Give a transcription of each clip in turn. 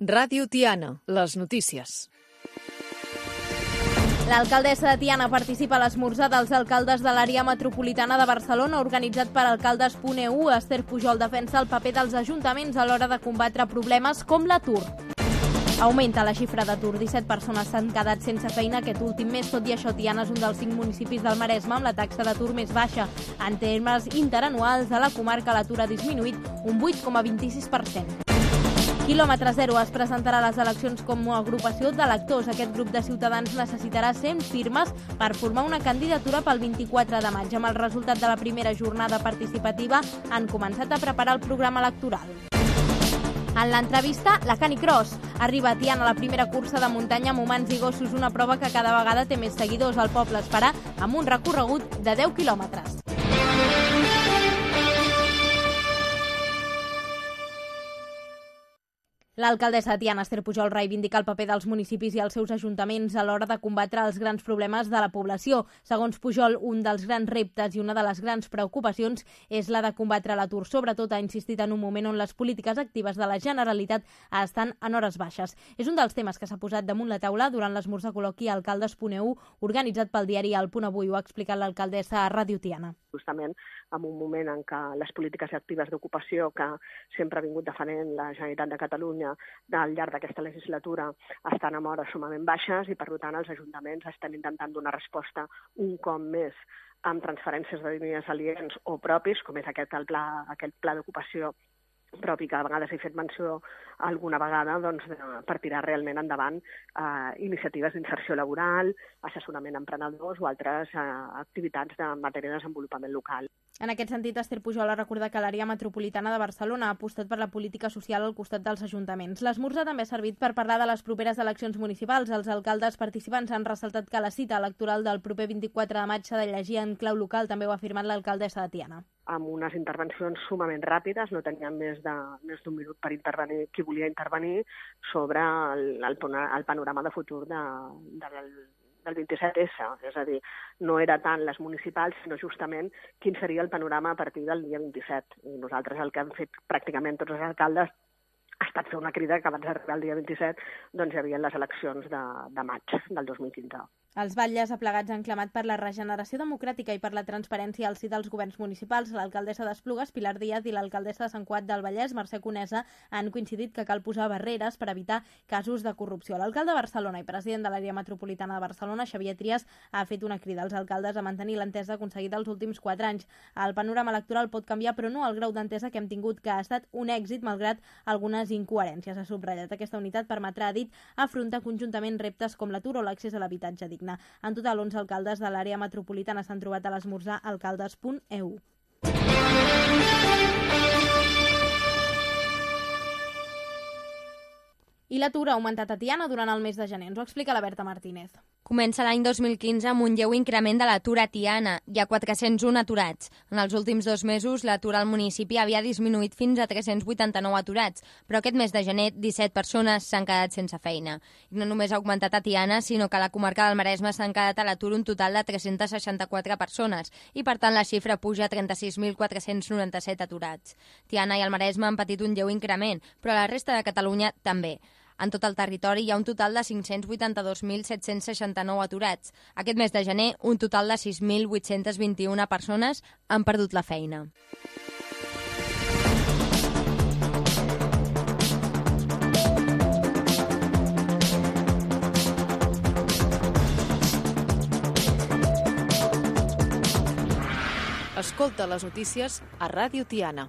Ràdio Tiana, les notícies. L'alcaldessa de Tiana participa a l'esmorzar dels alcaldes de l'àrea metropolitana de Barcelona, organitzat per alcaldes.eu. Esther Pujol defensa el paper dels ajuntaments a l'hora de combatre problemes com l'atur. Augmenta la xifra d'atur. 17 persones s'han quedat sense feina aquest últim mes. Tot i això, Tiana és un dels 5 municipis del Maresme amb la taxa d'atur més baixa. En termes interanuals, a la comarca l'atur ha disminuït un 8,26%. Quilòmetre Zero es presentarà a les eleccions com a agrupació d'electors. Aquest grup de ciutadans necessitarà 100 firmes per formar una candidatura pel 24 de maig. Amb el resultat de la primera jornada participativa han començat a preparar el programa electoral. En l'entrevista, la Canicross. Arriba a Tiana la primera cursa de muntanya amb humans i gossos, una prova que cada vegada té més seguidors. El poble es farà amb un recorregut de 10 quilòmetres. L'alcaldessa de Tiana, Esther Pujol, reivindica el paper dels municipis i els seus ajuntaments a l'hora de combatre els grans problemes de la població. Segons Pujol, un dels grans reptes i una de les grans preocupacions és la de combatre l'atur. Sobretot ha insistit en un moment on les polítiques actives de la Generalitat estan en hores baixes. És un dels temes que s'ha posat damunt la taula durant l'esmorzar col·loqui alcaldes.eu organitzat pel diari El Punt Avui. Ho ha explicat l'alcaldessa a Ràdio Tiana. Justament en un moment en què les polítiques actives d'ocupació que sempre ha vingut defendent la Generalitat de Catalunya al llarg d'aquesta legislatura estan en hores sumament baixes i, per tant, els ajuntaments estan intentant donar resposta un cop més amb transferències de diners aliens o propis, com és aquest pla d'ocupació propi que a vegades he fet menció alguna vegada, doncs, per tirar realment endavant iniciatives d'inserció laboral, assessorament a emprenedors o altres activitats de matèria de desenvolupament local. En aquest sentit, Esther Pujol ha recordat que l'àrea metropolitana de Barcelona ha apostat per la política social al costat dels ajuntaments. L'esmorzar també ha servit per parlar de les properes eleccions municipals. Els alcaldes participants han ressaltat que la cita electoral del proper 24 de maig s'ha de llegir en clau local, també ho ha afirmat l'alcaldessa de Tiana. Amb unes intervencions sumament ràpides, no teníem més d'un minut per intervenir qui volia intervenir sobre el panorama de futur del 27S, és a dir, no era tant les municipals, sinó justament quin seria el panorama a partir del dia 27. I nosaltres el que han fet pràcticament tots els alcaldes ha estat fer una crida que abans d'arribar al dia 27 doncs hi havia les eleccions de maig del 2015. Els batlles aplegats han clamat per la regeneració democràtica i per la transparència al si dels governs municipals. L'alcaldessa d'Esplugues, Pilar Díaz, i l'alcaldessa de Sant Cugat del Vallès, Mercè Conesa, han coincidit que cal posar barreres per evitar casos de corrupció. L'alcalde de Barcelona i president de l'àrea metropolitana de Barcelona, Xavier Trias, ha fet una crida als alcaldes a mantenir l'entesa aconseguida els últims 4 anys. El panorama electoral pot canviar, però no el grau d'entesa que hem tingut, que ha estat un èxit malgrat algunes incoherències. Ha subratllat aquesta unitat permetrà, ha dit, afrontar conjuntament reptes com l'atur o l'accés a l'habitatge digne. En total, 11 alcaldes de l'àrea metropolitana s'han trobat a l'esmorzar alcaldes.eu. I l'atur ha augmentat a Tiana durant el mes de gener. Ens ho explica la Berta Martínez. Comença l'any 2015 amb un lleu increment de l'atur a Tiana. Hi ha 401 aturats. En els últims 2 mesos, l'atur al municipi havia disminuït fins a 389 aturats, però aquest mes de gener 17 persones s'han quedat sense feina. I no només ha augmentat a Tiana, sinó que a la comarca del Maresme s'han quedat a l'atur un total de 364 persones i, per tant, la xifra puja a 36.497 aturats. Tiana i el Maresme han patit un lleu increment, però a la resta de Catalunya també. En tot el territori hi ha un total de 582.769 aturats. Aquest mes de gener, un total de 6.821 persones han perdut la feina. Escolta les notícies a Ràdio Tiana.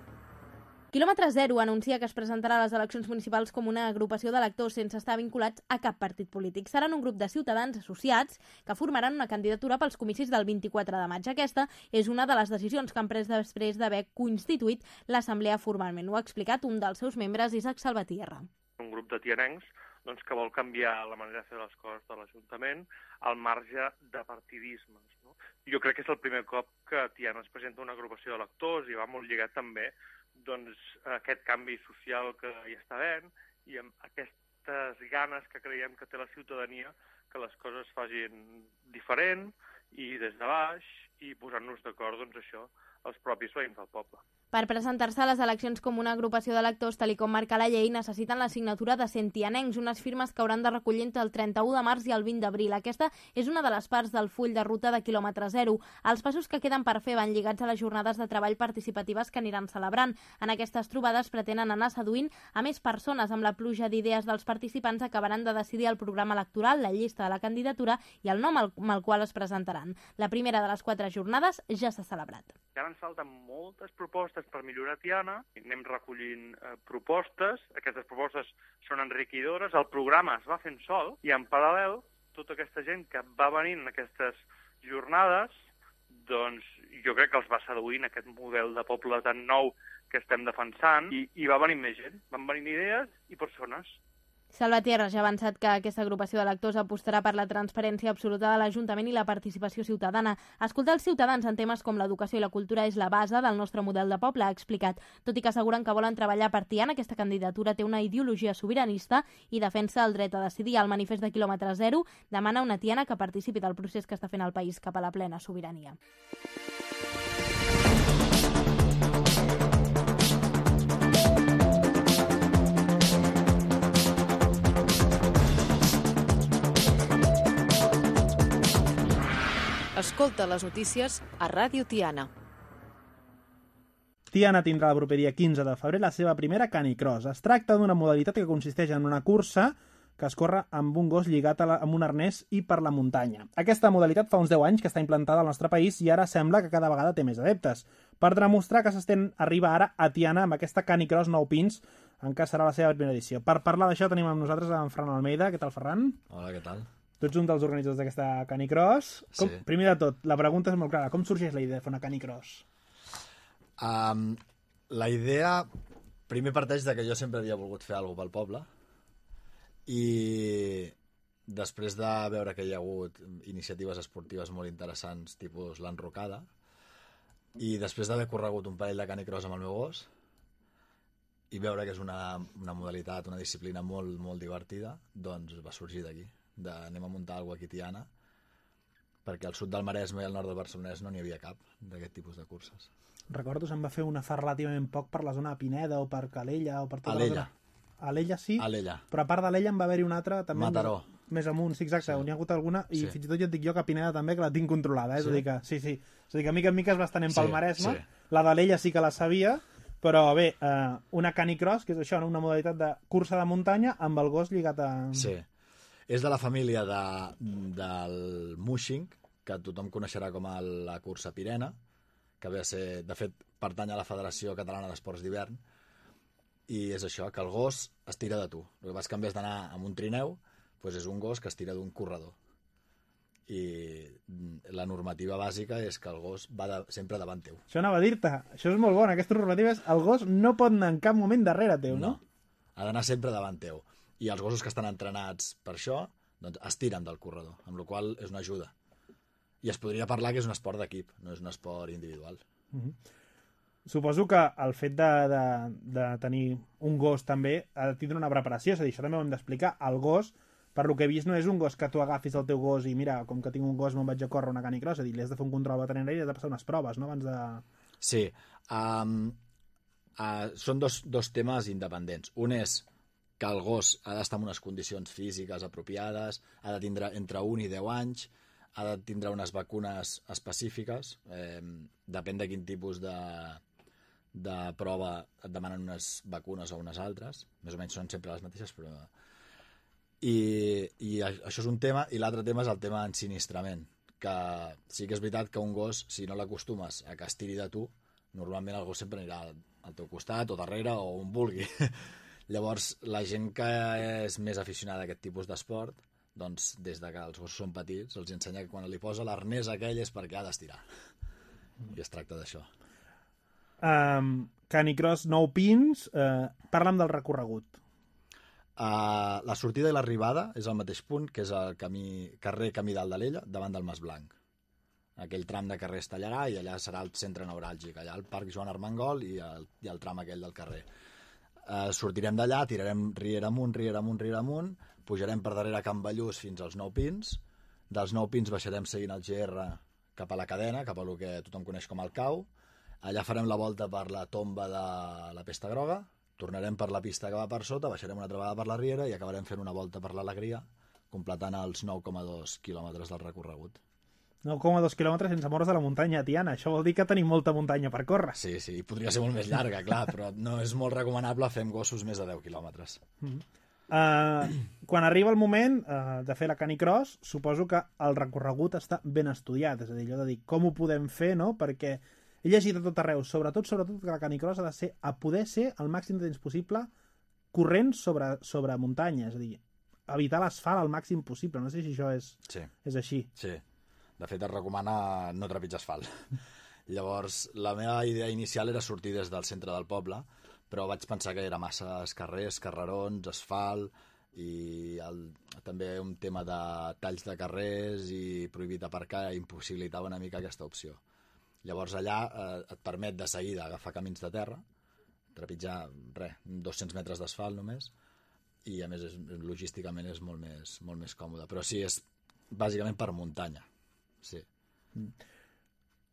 Quilòmetre Zero anuncia que es presentarà a les eleccions municipals com una agrupació d'electors sense estar vinculats a cap partit polític. Seran un grup de ciutadans associats que formaran una candidatura pels comicis del 24 de maig. Aquesta és una de les decisions que han pres després d'haver constituït l'assemblea formalment. Ho ha explicat un dels seus membres, Isaac Salvatierra. Un grup de tianencs que vol canviar la manera de fer les coses de l'Ajuntament al marge de partidismes. No? Jo crec que és el primer cop que a Tiana es presenta una agrupació d'electors i va molt lligat també aquest canvi social que hi està havent i amb aquestes ganes que creiem que té la ciutadania que les coses es facin diferent i des de baix i posant-nos d'acord, els propis veïns del poble. Per presentar-se a les eleccions com una agrupació d'electors, tal com marca la llei, necessiten la signatura de 100 tianencs, unes firmes que hauran de recollir entre el 31 de març i el 20 d'abril. Aquesta és una de les parts del full de ruta de quilòmetre zero. Els passos que queden per fer van lligats a les jornades de treball participatives que aniran celebrant. En aquestes trobades pretenen anar seduint a més persones. Amb la pluja d'idees dels participants acabaran de decidir el programa electoral, la llista de la candidatura i el nom amb el qual es presentaran. La primera de les 4 jornades ja s'ha celebrat. Ja ens falten moltes propostes per millorar Tiana, anem recollint propostes, aquestes propostes són enriquidores, el programa es va fent sol i en paral·lel tota aquesta gent que va venint en aquestes jornades, doncs jo crec que els va seduint aquest model de poble tan nou que estem defensant i va venint més gent, van venint idees i persones. Salvatierra ja ha avançat que aquesta agrupació d'electors apostarà per la transparència absoluta de l'Ajuntament i la participació ciutadana. Escoltar els ciutadans en temes com l'educació i la cultura és la base del nostre model de poble, ha explicat. Tot i que asseguren que volen treballar per Tiana, aquesta candidatura té una ideologia sobiranista i defensa el dret a decidir. El manifest de quilòmetre zero demana una Tiana que participi del procés que està fent el país cap a la plena sobirania. Escolta les notícies a Ràdio Tiana. Tiana tindrà el proper dia 15 de febrer la seva primera canicross. Es tracta d'una modalitat que consisteix en una cursa que es corre amb un gos lligat amb un arnès i per la muntanya. Aquesta modalitat fa uns 10 anys que està implantada al nostre país i ara sembla que cada vegada té més adeptes. Per demostrar que s'estén arriba ara a Tiana amb aquesta canicross 9 pins, en què serà la seva primera edició. Per parlar d'això tenim amb nosaltres en Ferran Almeida. Què tal, Ferran? Hola, què tal? Tu ets un dels organitzadors d'aquesta canicross. Sí. Primer de tot, la pregunta és molt clara. Com sorgeix la idea de fer una canicross? La idea primer parteix de que jo sempre havia volgut fer alguna cosa pel poble i després de veure que hi ha hagut iniciatives esportives molt interessants, tipus l'enrocada, i després d'haver corregut un parell de canicross amb el meu gos i veure que és una modalitat, una disciplina molt, molt divertida, doncs va sorgir d'aquí. Anem a muntar alguna cosa aquí a Tiana, perquè al sud del Maresme i al nord del Barcelonès no n'hi havia cap d'aquest tipus de curses. Recordo se'n va fer una fa relativament poc per la zona de Pineda o per Calella o per tota Alella. la zona. Alella sí, Alella. però a part d'Alella en va haver-hi una altra també Mataró. Més amunt, sí, exacte, Sí. on hi ha hagut alguna i Sí. fins i tot jo et dic jo que a Pineda també que la tinc controlada, és Sí? a dir que sí. És a dir que mica en mica es va estenent pel Sí, Maresme, sí. la d'Alella sí que la sabia, però bé, una canicross, que és això, una modalitat de cursa de muntanya amb el gos lligat a... Sí. És de la família del mushing, que tothom coneixerà com la cursa Pirena, que ve a ser, de fet, pertany a la Federació Catalana d'Esports d'Hivern, i és això, que el gos es tira de tu. El que passa que en vez d'anar amb un trineu, doncs és un gos que es tira d'un corredor. I la normativa bàsica és que el gos va sempre davant teu. Això anava a dir-te, això és molt bona, aquesta normativa és el gos no pot anar en cap moment darrere teu, no? Ha d'anar sempre davant teu. I els gossos que estan entrenats per això, doncs es tiren del corredor, amb la qual cosa és una ajuda. I es podria parlar que és un esport d'equip, no és un esport individual. Suposo que el fet de tenir un gos també ha de tindre una preparació, és a dir, això també ho hem d'explicar. El gos, per lo que he vist, no és un gos que tu agafis el teu gos i mira, com que tinc un gos me'n vaig a córrer una canicross, és a dir, li has de fer un control veterinari i has de passar unes proves, no?, abans de... Sí. Són dos temes independents. Un és que el gos ha d'estar en unes condicions físiques apropiades, ha de tindre entre 1 i 10 anys, ha de tindre unes vacunes específiques, depèn de quin tipus de prova et demanen unes vacunes o unes altres, més o menys són sempre les mateixes, però... I això és un tema, i l'altre tema és el tema ensinistrament, que sí que és veritat que un gos, si no l'acostumes a que es tiri de tu, normalment el gos sempre anirà al teu costat o darrere o on vulgui. Llavors, la gent que és més aficionada a aquest tipus d'esport, doncs, des de que els gossos són petits, els ensenya que quan li posa l'arnès aquell és perquè ha d'estirar. I es tracta d'això. Canicross 9 pins, parla'm del recorregut. La sortida i l'arribada és al mateix punt, que és el carrer Camí d'Aldalella, davant del Mas Blanc. Aquell tram de carrer es tallarà i allà serà el centre neuràlgic, allà el Parc Joan Armengol i el tram aquell del carrer. Sortirem d'allà, tirarem riera amunt, pujarem per darrere Can Ballús fins als 9 pins, dels 9 pins baixarem seguint el GR cap a la cadena, cap a el que tothom coneix com el Cau, Allà farem la volta per la tomba de la Pesta Groga, tornarem per la pista que va per sota, baixarem una altra vegada per la Riera i acabarem fent una volta per l'Alegria, completant els 9,2 quilòmetres del recorregut. 9,2 quilòmetres sense moure's de la muntanya, Tiana. Això vol dir que tenim molta muntanya per córrer. Sí, podria ser molt més llarga, clar, però no és molt recomanable fer amb gossos més de 10 quilòmetres. Quan arriba el moment de fer la canicross, suposo que el recorregut està ben estudiat, és a dir, allò de dir com ho podem fer, no? Perquè he llegit a tot arreu, sobretot que la canicross ha de ser, a poder ser el màxim de temps possible corrent sobre muntanya, és a dir, evitar l'asfalt al màxim possible. No sé si això és així. Sí, de fet es recomana no trepitjar asfalt. Llavors, la meva idea inicial era sortir des del centre del poble, però vaig pensar que era massa carrers, carrerons, asfalt, i també un tema de talls de carrers i prohibit aparcar impossibilitava una mica aquesta opció. Llavors allà et permet de seguida agafar camins de terra, trepitjar 200 metres d'asfalt només, i a més logísticament és molt més còmode. Però sí, és bàsicament per muntanya. Sí.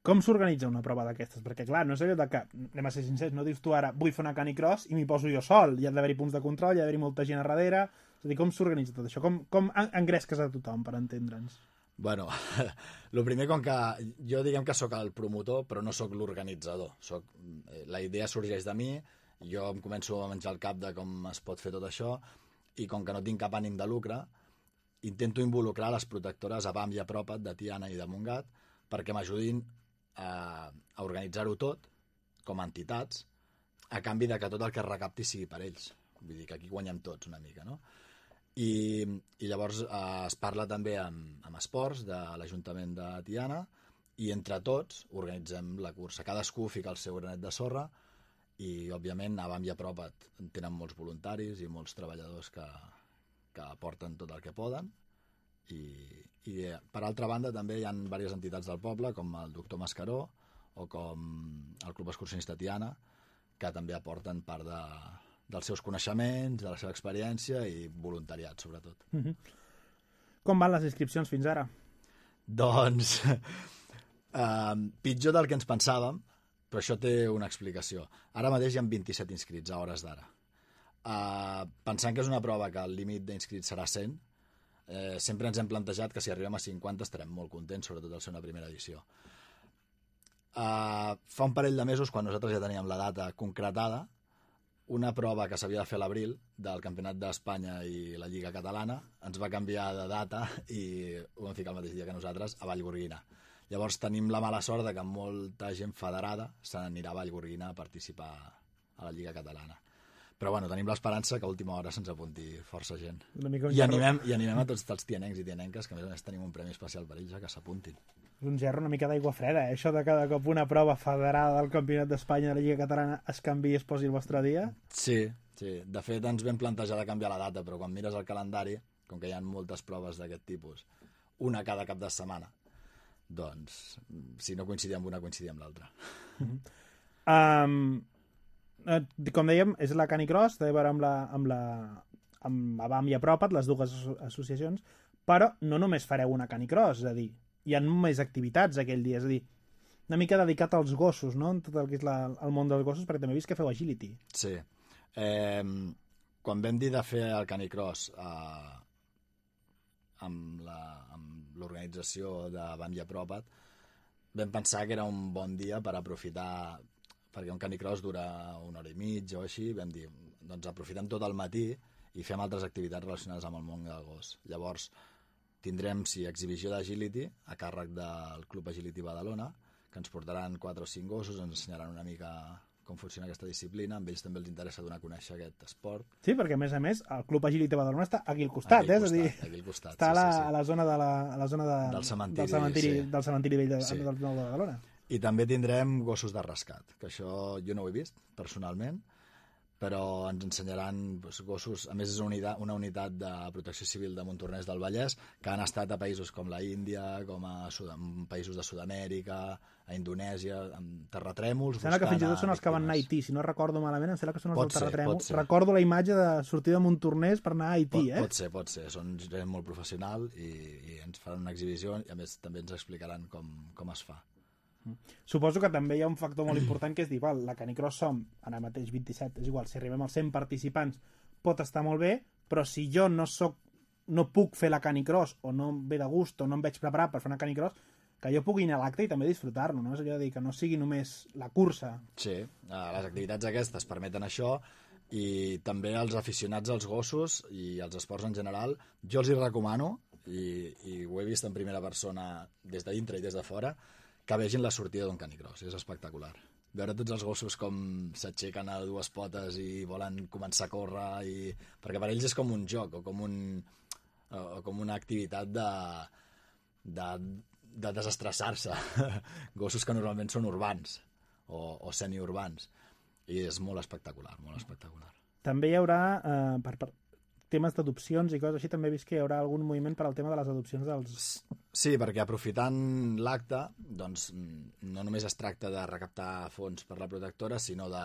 Com s'organitza una prova d'aquestes? Perquè, clar, no és allò de que, anem a ser sincers, no dius tu ara vull fer una canicross i m'hi poso jo sol. Hi ha d'haver-hi punts de control, hi ha d'haver-hi molta gent a darrere. És a dir, com s'organitza tot això? Com engresques a tothom, per entendre'ns? Bueno, el primer, com que jo diguem que sóc el promotor, però no sóc l'organitzador. La idea sorgeix de mi, jo em començo a menjar el cap de com es pot fer tot això, i com que no tinc cap ànim de lucre, intento involucrar les protectores ABAM i Apropa't de Tiana i de Montgat perquè m'ajudin a organitzar-ho tot com a entitats a canvi de que tot el que es recapti sigui per ells. Vull dir que aquí guanyem tots una mica, no? I llavors es parla també amb esports de l'Ajuntament de Tiana i entre tots organitzem la cursa. Cadascú fica el seu granet de sorra i, òbviament, ABAM i Apropa't tenen molts voluntaris i molts treballadors que aporten tot el que poden i per altra banda també hi ha diverses entitats del poble com el Doctor Mascaró o com el Club Excursionista Tiana que també aporten part dels seus coneixements, de la seva experiència i voluntariat, sobretot. Com van les inscripcions fins ara? Doncs pitjor del que ens pensàvem, però això té una explicació. Ara mateix hi ha 27 inscrits a hores d'ara. Pensant que és una prova que el límit d'inscrits serà 100, sempre ens hem plantejat que si arribem a 50 estarem molt contents, sobretot al ser una primera edició. Fa un parell de mesos, quan nosaltres ja teníem la data concretada, una prova que s'havia de fer a l'abril del Campionat d'Espanya i la Lliga Catalana ens va canviar de data i ho vam ficar el mateix dia que nosaltres a Vallgorguina. Llavors tenim la mala sort de que molta gent federada se n'anirà a Vallgorguina a participar a la Lliga Catalana. Però bueno, tenim l'esperança que a última hora se'ns apunti força gent. I animem a tots els tianencs i tianenques, que a més tenim un premi especial per ells, que s'apuntin. És un gerro una mica d'aigua freda, això de cada cop una prova federada del Campionat d'Espanya de la Lliga Catalana es canvi i es posi el vostre dia? Sí. De fet, ens vam plantejar de canviar la data, però quan mires el calendari, com que hi ha moltes proves d'aquest tipus, una cada cap de setmana, doncs, si no coincidia amb una, coincidia amb l'altra. Com dèiem, és la canicross, té a veure amb ABAM i Apropa't, les dues associacions, però no només fareu una canicross, és a dir, hi ha més activitats aquell dia, és a dir, una mica dedicat als gossos, no?, en tot el que és el món dels gossos, perquè també he vist que feu agility. Sí. Quan vam dir de fer el canicross amb l'organització d'ABAM i Apropa't, vam pensar que era un bon dia per aprofitar, perquè un canicross dura una hora i mitja o així, vam dir, doncs aprofitem tot el matí i fem altres activitats relacionades amb el món del gos. Llavors, tindrem, exhibició d'agility a càrrec del Club Agility Badalona, que ens portaran 4 o 5 gossos, ens ensenyaran una mica com funciona aquesta disciplina, amb ells també els interessa donar a conèixer aquest esport. Sí, perquè a més, el Club Agility Badalona està aquí al costat, aquí al costat, està a la zona del cementiri vell del Nou de Badalona. I també tindrem gossos de rescat, que això jo no ho he vist, personalment, però ens ensenyaran gossos, a més és una unitat de protecció civil de Montornès del Vallès, que han estat a països com la Índia, com a països de Sud-amèrica, a Indonèsia, amb terratrèmols... Sembla que fins i tot són els que van anar a Haití, si no recordo malament, em sembla que són els del terratrèmol. Recordo la imatge de sortir de Montornès per anar a Haití, Pot ser, són gent molt professional i ens faran una exhibició i a més també ens explicaran com es fa. Suposo que també hi ha un factor molt important que és dir, val, la Canicross som ara mateix 27, és igual, si arribem als 100 participants pot estar molt bé, però si jo no puc fer la Canicross o no em ve de gust o no em veig preparat per fer una Canicross, que jo pugui anar a l'acte i també disfrutar-lo, no? És allò de dir que no sigui només la cursa. Sí, les activitats aquestes permeten això i també als aficionats als gossos i als esports en general, jo els hi recomano, i ho he vist en primera persona des de dintre i des de fora, que vegin la sortida d'un Canicross, és espectacular. Veure tots els gossos com s'aixequen a dues potes i volen començar a córrer, perquè per ells és com un joc o com una activitat de desestressar-se. Gossos que normalment són urbans o semiurbans, i és molt espectacular, molt espectacular. També hi haurà, per temes d'adopcions i coses així, també he vist que hi haurà algun moviment per al tema de les adopcions dels... Sí, perquè aprofitant l'acte, doncs no només es tracta de recaptar fons per la protectora, sinó de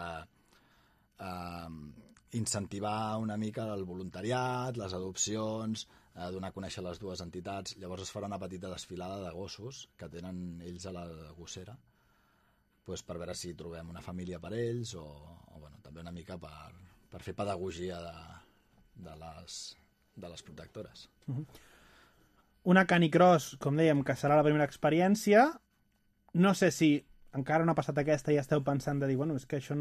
incentivar una mica el voluntariat, les adopcions, donar a conèixer les dues entitats. Llavors es farà una petita desfilada de gossos que tenen ells a la gossera, doncs per veure si trobem una família per ells o bueno, també una mica per fer pedagogia de les protectores. Una Canicross, com dèiem, que serà la primera experiència. No sé si encara no ha passat aquesta i ja esteu pensant de dir, bueno, és que això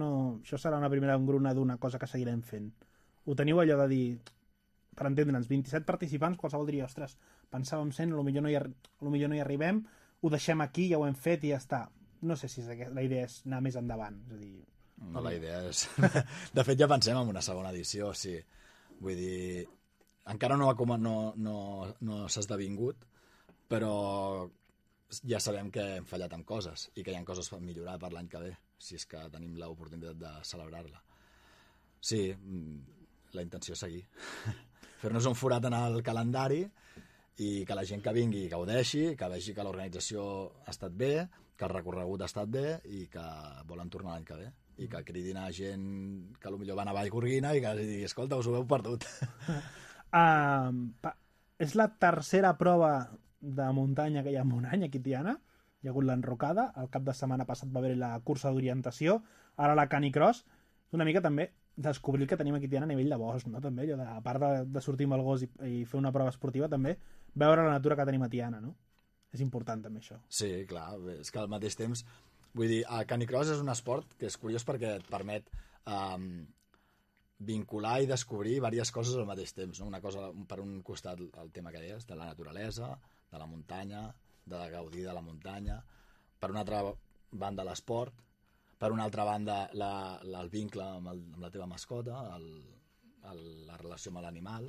serà una primera engruna d'una cosa que seguirem fent. Ho teniu allò de dir, per entendre'ns, 27 participants, qualsevol diria, ostres, pensàvem 100, potser no hi arribem, ho deixem aquí, ja ho hem fet i ja està. No sé si la idea és anar més endavant. És a dir... No, la idea és... De fet, ja pensem en una segona edició, sí. Vull dir, encara no s'ha esdevingut, però ja sabem que hem fallat amb coses i que hi ha coses per millorar per l'any que ve, si és que tenim l'oportunitat de celebrar-la. Sí, la intenció és seguir. Fer-nos un forat en el calendari i que la gent que vingui gaudeixi, que vegi que l'organització ha estat bé, que el recorregut ha estat bé i que volen tornar l'any que ve. I que cridin a gent que potser van a Vallgorguina i que els digui, escolta, us ho heu perdut. És la tercera prova de muntanya que hi ha en un any aquí a Tiana. Hi ha hagut l'enrocada, el cap de setmana passat va haver la cursa d'orientació, ara la Canicross. Una mica també descobrir el que tenim aquí a Tiana a nivell de bosc, no? També, allò a part de sortir amb el gos i fer una prova esportiva, també veure la natura que tenim a Tiana, no? És important també això. Sí, clar, és que al mateix temps vull dir, el Canicross és un esport que és curiós perquè et permet vincular i descobrir diverses coses al mateix temps. No? Una cosa, per un costat, el tema que deies, de la naturalesa, de la muntanya, de gaudir de la muntanya. Per una altra banda, l'esport. Per una altra banda, el vincle amb la teva mascota, la relació amb l'animal.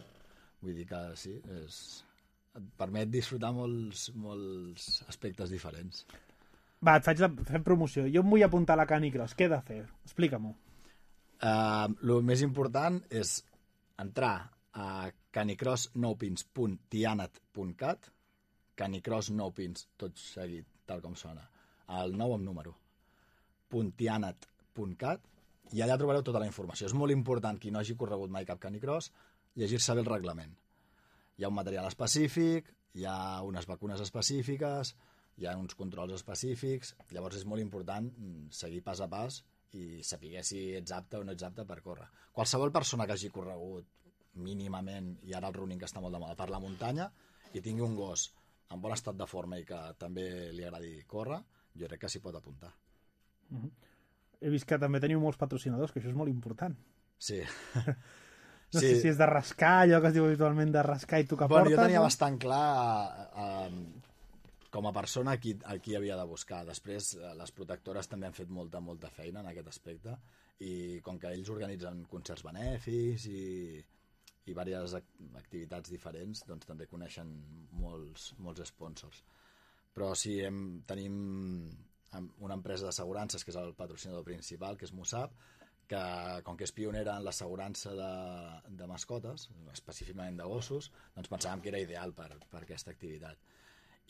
Vull dir que sí, et permet disfrutar molts aspectes diferents. Va, fem promoció. Jo em vull apuntar a la Canicross. Què he de fer? Explica-m'ho. El més important és entrar a canicrossnopins.tianat.cat, Canicross Nopins, tot seguit, tal com sona, el 9 amb número, .tianat.cat, i allà trobareu tota la informació. És molt important, qui no hagi corregut mai cap Canicross, llegir-se bé el reglament. Hi ha un material específic, hi ha unes vacunes específiques, hi ha uns controls específics, llavors és molt important seguir pas a pas i saber si ets apte o no ets apte per córrer. Qualsevol persona que hagi corregut mínimament, i ara el running que està molt de moda, per la muntanya, i tingui un gos en bon estat de forma i que també li agradi córrer, jo crec que s'hi pot apuntar. He vist que també teniu molts patrocinadors, que això és molt important. Sí. No sé si és de rascar, allò que es diu habitualment de rascar i tu que portes. Jo tenia bastant clar com a persona qui havia de buscar. Després les protectores també han fet molta feina en aquest aspecte i com que ells organitzen concerts benèfics i diverses activitats diferents, doncs també coneixen molts sponsors. Però sí, tenim una empresa d'assegurances que és el patrocinador principal, que és Musab, que com que és pionera en l'assegurança de mascotes, específicament de gossos, doncs pensàvem que era ideal per aquesta activitat.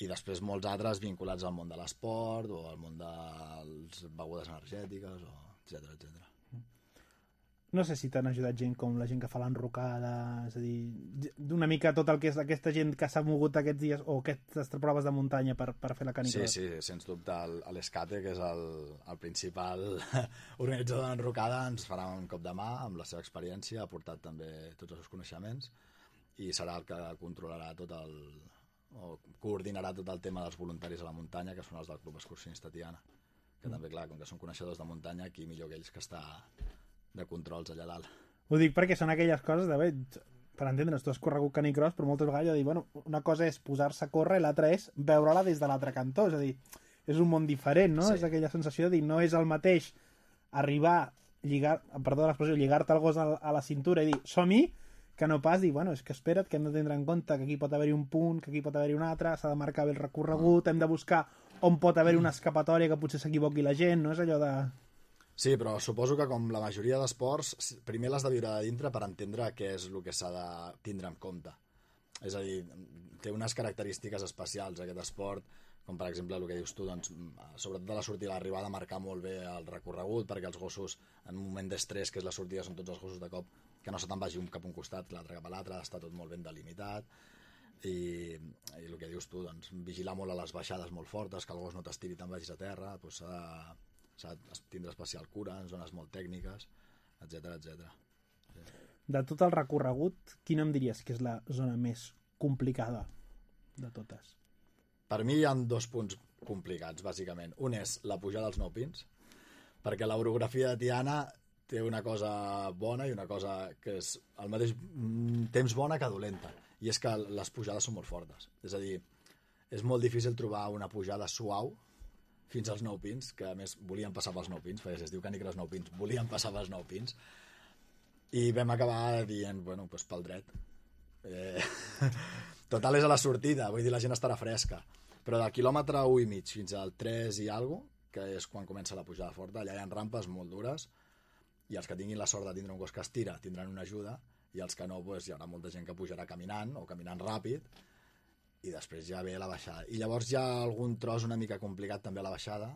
I després molts altres vinculats al món de l'esport o al món de les begudes energètiques, etcètera. No sé si t'han ajudat gent com la gent que fa l'enrocada, és a dir, d'una mica tot el que és aquesta gent que s'ha mogut aquests dies o aquestes proves de muntanya per fer la canicross. Sí, sens dubte. L'Escate, que és el principal organitzador de l'enrocada, ens farà un cop de mà amb la seva experiència, ha portat també tots els seus coneixements i serà el que controlarà o coordinarà tot el tema dels voluntaris a la muntanya, que són els del Club Excursionista Tiana. Que també, clar, com que són coneixedors de muntanya, aquí millor que ells que està de controls allà dalt. Ho dic perquè són aquelles coses de, per entendre's, tu has corregut canicross, però moltes vegades jo dic, bueno, una cosa és posar-se a córrer i l'altra és veure-la des de l'altre cantó, és a dir, és un món diferent, no? Sí. És aquella sensació de dir, no és el mateix arribar, lligar-te el gos a la cintura i dir, som-hi, que no pas dir, bueno, és que espera't, que hem de tindre en compte que aquí pot haver-hi un punt, que aquí pot haver-hi un altre, s'ha de marcar bé el recorregut, hem de buscar on pot haver-hi una escapatòria que potser s'equivoqui la gent, no? És allò de... Sí, però suposo que com la majoria d'esports, primer l'has de viure de dintre per entendre què és el que s'ha de tindre en compte. És a dir, té unes característiques especials aquest esport, com per exemple el que dius tu, doncs, sobretot a la sortida i l'arribada, marcar molt bé el recorregut, perquè els gossos, en un moment d'estrès, que és la sortida, són tots els gossos de cop, que no se te'n vagi un cap a un costat, l'altre cap a l'altre, està tot molt ben delimitat, i el que dius tu, doncs, vigilar molt a les baixades molt fortes, que el gos no t'estiri tan vagis a terra, doncs s'ha de tindre especial cura en zones molt tècniques, etc. Sí. De tot el recorregut, quina em diries que és la zona més complicada de totes? Per mi hi ha 2 punts complicats, bàsicament. Un és la pujada als 9 pins, perquè l'orografia de Tiana té una cosa bona i una cosa que és al mateix temps bona que dolenta, i és que les pujades són molt fortes. És a dir, és molt difícil trobar una pujada suau fins als 9 pins, que a més volien passar pels 9 pins, perquè si es diu canicross 9 pins, volien passar pels 9 pins, i vam acabar dient, bueno, doncs pel dret. Total és a la sortida, vull dir, la gent estarà fresca, però del quilòmetre 1 i mig fins al 3 i alguna, que és quan comença la pujada forta, allà hi ha rampes molt dures, i els que tinguin la sort de tindre un gos que es tira tindran una ajuda, i els que no, doncs, hi haurà molta gent que pujarà caminant o caminant ràpid, i després ja ve la baixada. I llavors hi ha algun tros una mica complicat també a la baixada,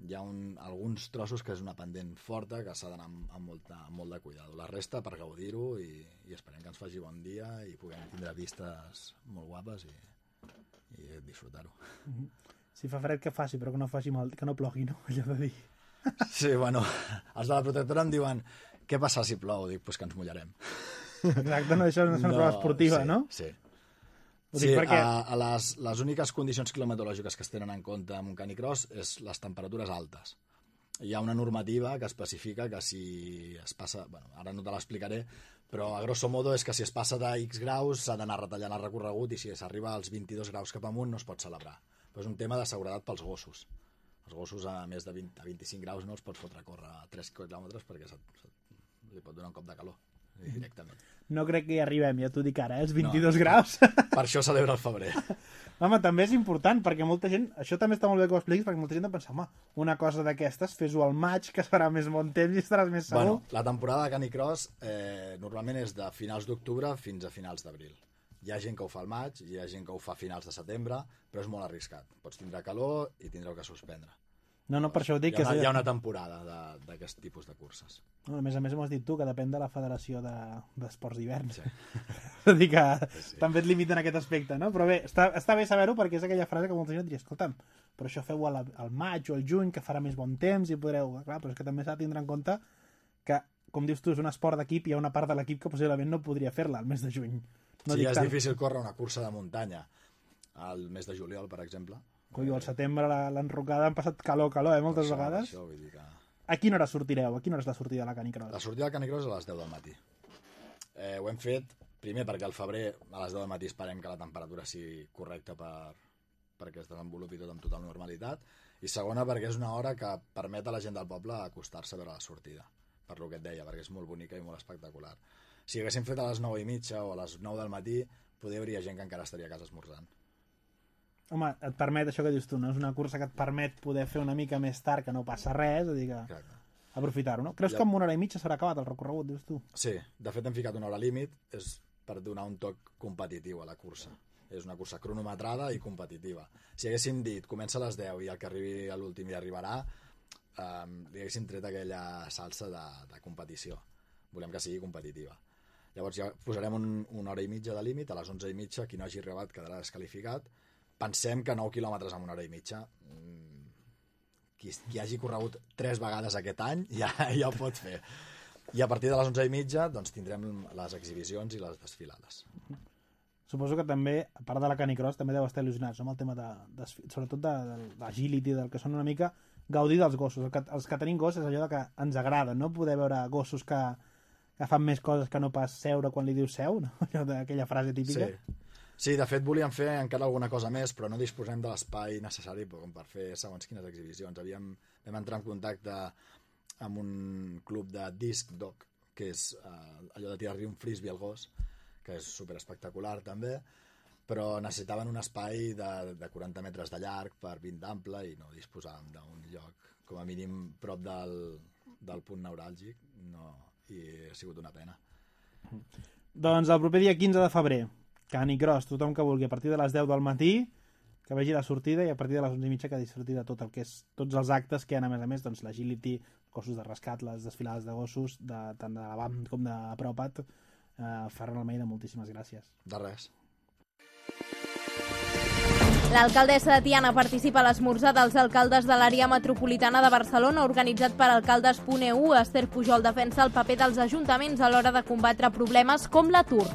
hi ha alguns trossos que és una pendent forta que s'ha d'anar amb molt de cuidado. La resta per gaudir-ho i esperem que ens faci bon dia i puguem tindre vistes molt guapes i disfrutar-ho. Si fa fred que faci, però que no faci mal, que no plogui, no? Allò de dir. Sí, bueno, els de la protectora em diuen què passa si plou? Dic, pues que ens mullarem. Exacte, no, això no és una prova esportiva, sí, no? Sí. Sí, perquè... a les úniques condicions climatològiques que es tenen en compte en un canicross és les temperatures altes. Hi ha una normativa que especifica que si es passa... Bueno, ara no te l'explicaré, però a grosso modo és que si es passa de X graus s'ha d'anar retallant el recorregut i si s'arriba als 22 graus cap amunt no es pot celebrar. Però és un tema de seguretat pels gossos. Els gossos a més de 20 a 25 graus no els pots fotre a córrer a 3 quilòmetres perquè li pot donar un cop de calor directament. No crec que hi arribem, ja t'ho dic ara, els 22 graus. Per això celebra el febrer. Home, també és important, perquè molta gent... Això també està molt bé que ho expliquis, perquè molta gent pensa, home, una cosa d'aquestes, fes-ho al maig, que farà més bon temps i estaràs més segur. Bueno, la temporada de canicross normalment és de finals d'octubre fins a finals d'abril. Hi ha gent que ho fa al maig, hi ha gent que ho fa a finals de setembre, però és molt arriscat. Pots tindre calor i tindreu que suspendre. No, per això ho dic. Hi ha una temporada d'aquest tipus de curses. No, a més m'ho has dit tu, que depèn de la Federació d'Esports d'Hivern. Sí. Vull dir que sí. També et limiten aquest aspecte, no? Però bé, està bé saber-ho perquè és aquella frase que molta gent diria, escolta'm, però això feu al maig o al juny, que farà més bon temps i podreu... Clar, però és que també s'ha de tindre en compte que, com dius tu, és un esport d'equip i hi ha una part de l'equip que possiblement no podria fer-la al mes de juny. No sí, és difícil córrer una cursa de muntanya al mes de juliol, per exemple. Colló, al setembre l'enrocada han passat calor, moltes vegades. Això, vull dir que... A quina hora sortireu? A quina hora és la sortida de la canicross? La sortida de la canicross és a les 10 del matí. Ho hem fet, primer, perquè al febrer a les 10 del matí esperem que la temperatura sigui correcta perquè es desenvolupi tot amb total normalitat, i segona, perquè és una hora que permet a la gent del poble acostar-se a veure la sortida, per lo que et deia, perquè és molt bonica i molt espectacular. Si haguéssim fet a les 9:30 o a les 9 del matí, potser hi hauria gent que encara estaria a casa esmorzant. Home, et permet això que dius tu, no? És una cursa que et permet poder fer una mica més tard, que no passa res, és a dir que aprofitar-ho, no? Creus que en 1 hora i mitja s'haurà acabat el recorregut, dius tu? Sí, de fet hem ficat una hora límit, és per donar un toc competitiu a la cursa. És una cursa cronometrada i competitiva. Si haguéssim dit, comença a les 10 i el que arribi a l'últim hi arribarà, li haguéssim tret aquella salsa de competició. volem que sigui competitiva. Llavors ja posarem una hora i mitja de límit, a les 11:30 qui no hagi arribat quedarà desqualificat. Pensem que 9 quilòmetres en una hora i mitja, qui hagi corregut 3 vegades aquest any ja ho pot fer. I a partir de les 11:30 doncs, tindrem les exhibicions i les desfilades. Suposo que també, a part de la canicross, també deu estar il·lusionats amb el tema sobretot de l'agility, del que són una mica gaudir dels gossos. Els que tenim gossos és allò que ens agrada, no? Poder veure gossos que fan més coses que no pas seure quan li dius seu, no? Aquella frase típica. Sí, de fet volíem fer encara alguna cosa més, però no disposem de l'espai necessari per fer segons quines exhibicions. Vam entrar en contacte amb un club de disc dog, que és allò de tirar-li un frisbee al gos, que és superespectacular també, però necessitaven un espai de 40 metres de llarg per 20 d'ample i no disposàvem d'un lloc, com a mínim prop del punt neuràlgic, i ha sigut una pena. Doncs el proper dia 15 de febrer, canicross, tothom que vulgui, a partir de les 10 del matí, que vegi la sortida, i a partir de les 11:30 que disfruti de tot el que és, tots els actes que hi ha, a més, doncs l'agility, gossos de rescat, les desfilades de gossos, tant de la BAM com de Propat. Ferran Almeida, moltíssimes gràcies. De res. L'alcaldessa de Tiana participa a l'esmorzar dels alcaldes de l'àrea metropolitana de Barcelona, organitzat per Alcaldes.eu. Esther Pujol defensa el paper dels ajuntaments a l'hora de combatre problemes com l'atur.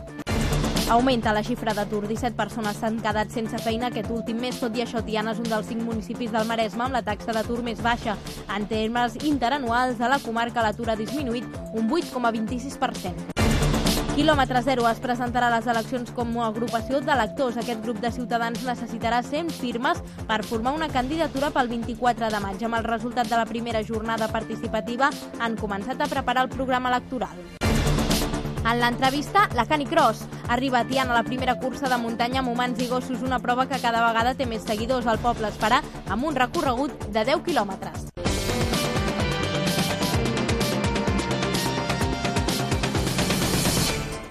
Augmenta la xifra d'atur. 17 persones s'han quedat sense feina aquest últim mes. Tot i això, Tiana és un dels 5 municipis del Maresme amb la taxa d'atur més baixa. En termes interanuals, a la comarca l'atur ha disminuït un 8,26%. Quilòmetre Zero es presentarà a les eleccions com a agrupació d'electors. Aquest grup de ciutadans necessitarà 100 firmes per formar una candidatura pel 24 de maig. Amb el resultat de la primera jornada participativa han començat a preparar el programa electoral. En l'entrevista, la canicross. Arriba a Tiana la primera cursa de muntanya amb humans i gossos, una prova que cada vegada té més seguidors. El poble es farà amb un recorregut de 10 quilòmetres.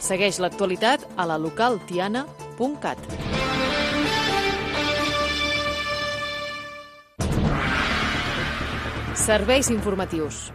Segueix l'actualitat a la localtiana.cat. Serveis informatius.